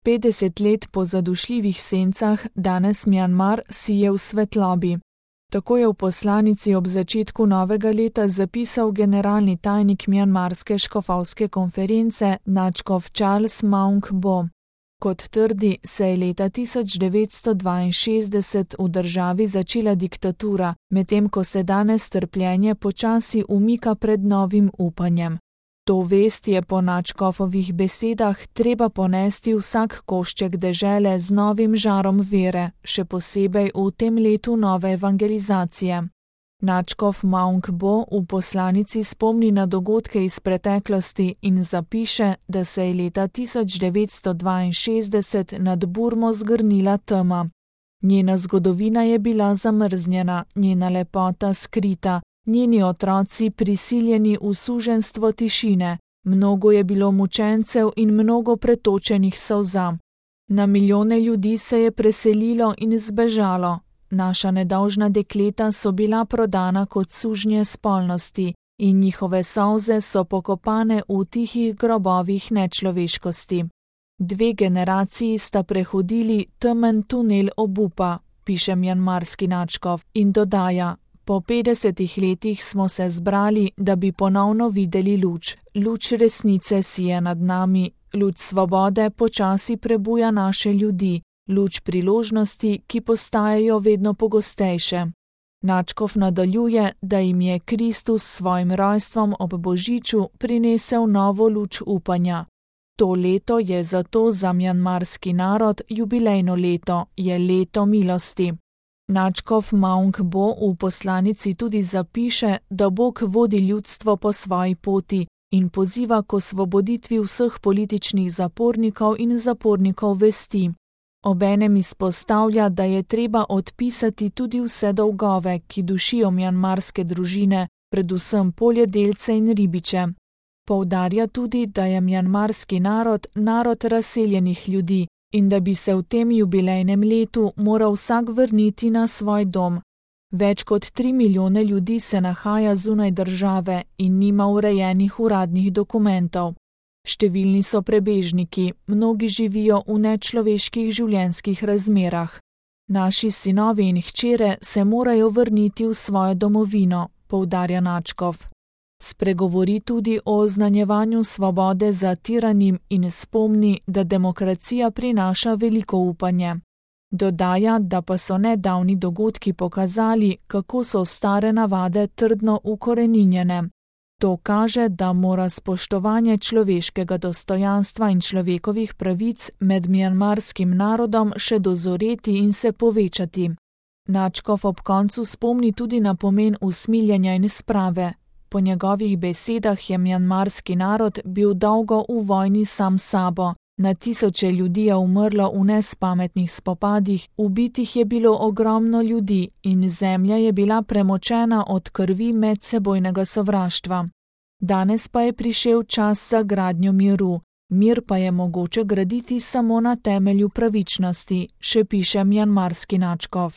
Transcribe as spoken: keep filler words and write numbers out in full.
petdeset let po zadušljivih sencah danes Mjanmar sije v svetlobi. Tako je v poslanici ob začetku novega leta zapisal generalni tajnik mjanmarske škofovske konference nadškof Charles Maung Bo. Kot trdi, se je leta tisoč devetsto dvainšestdeset v državi začela diktatura, medtem ko se danes trpljenje počasi umika pred novim upanjem. To vest je po nadškofovih besedah treba ponesti vsak košček dežele z novim žarom vere, še posebej v tem letu nove evangelizacije. Nadškof Maung Bo v poslanici spomni na dogodke iz preteklosti in zapiše, da se je leta tisoč devetsto dvainšestdeset nad Burmo zgrnila tema. Njena zgodovina je bila zamrznjena, njena lepota skrita, njeni otroci prisiljeni v suženjstvo tišine, mnogo je bilo mučencev in mnogo pretočenih solza. Na milijone ljudi se je preselilo in zbežalo. Naša nedolžna dekleta so bila prodana kot sužnje spolnosti in njihove solze so pokopane v tihih grobovih nečloveškosti. Dve generaciji sta prehodili temen tunel obupa, piše mjanmarski nadškof in dodaja: po petdesetih letih smo se zbrali, da bi ponovno videli luč. Luč resnice sije nad nami, luč svobode počasi prebuja naše ljudi, luč priložnosti, ki postajajo vedno pogostejše. Nadškof nadaljuje, da jim je Kristus s svojim rojstvom ob Božiču prinesel novo luč upanja. To leto je zato za mjanmarski narod jubilejno leto, je leto milosti. Nadškof Maung Bo v poslanici tudi zapiše, da Bog vodi ljudstvo po svoji poti in poziva k osvoboditvi vseh političnih zapornikov in zapornikov vesti. Obenem izpostavlja, da je treba odpisati tudi vse dolgove, ki dušijo mjanmarske družine, predvsem poljedelce in ribiče. Poudarja tudi, da je mjanmarski narod narod razseljenih ljudi in da bi se v tem jubilejnem letu moral vsak vrniti na svoj dom. Več kot tri milijone ljudi se nahaja zunaj države in nima urejenih uradnih dokumentov. Številni so prebežniki, mnogi živijo v nečloveških življenjskih razmerah. Naši sinovi in hčere se morajo vrniti v svojo domovino, poudarja nadškof. Spregovori tudi o oznanjevanju svobode zatiranim in spomni, da demokracija prinaša veliko upanje. Dodaja, da pa so nedavni dogodki pokazali, kako so stare navade trdno ukoreninjene. To kaže, da mora spoštovanje človeškega dostojanstva in človekovih pravic med mjanmarskim narodom še dozoreti in se povečati. Nadškof ob koncu spomni tudi na pomen usmiljenja in sprave. Po njegovih besedah je mjanmarski narod bil dolgo v vojni sam sabo. Na tisoče ljudi je umrlo v nespametnih spopadih, ubitih je bilo ogromno ljudi in zemlja je bila premočena od krvi medsebojnega sovraštva. Danes pa je prišel čas za gradnjo miru. Mir pa je mogoče graditi samo na temelju pravičnosti, še piše mjanmarski nadškof.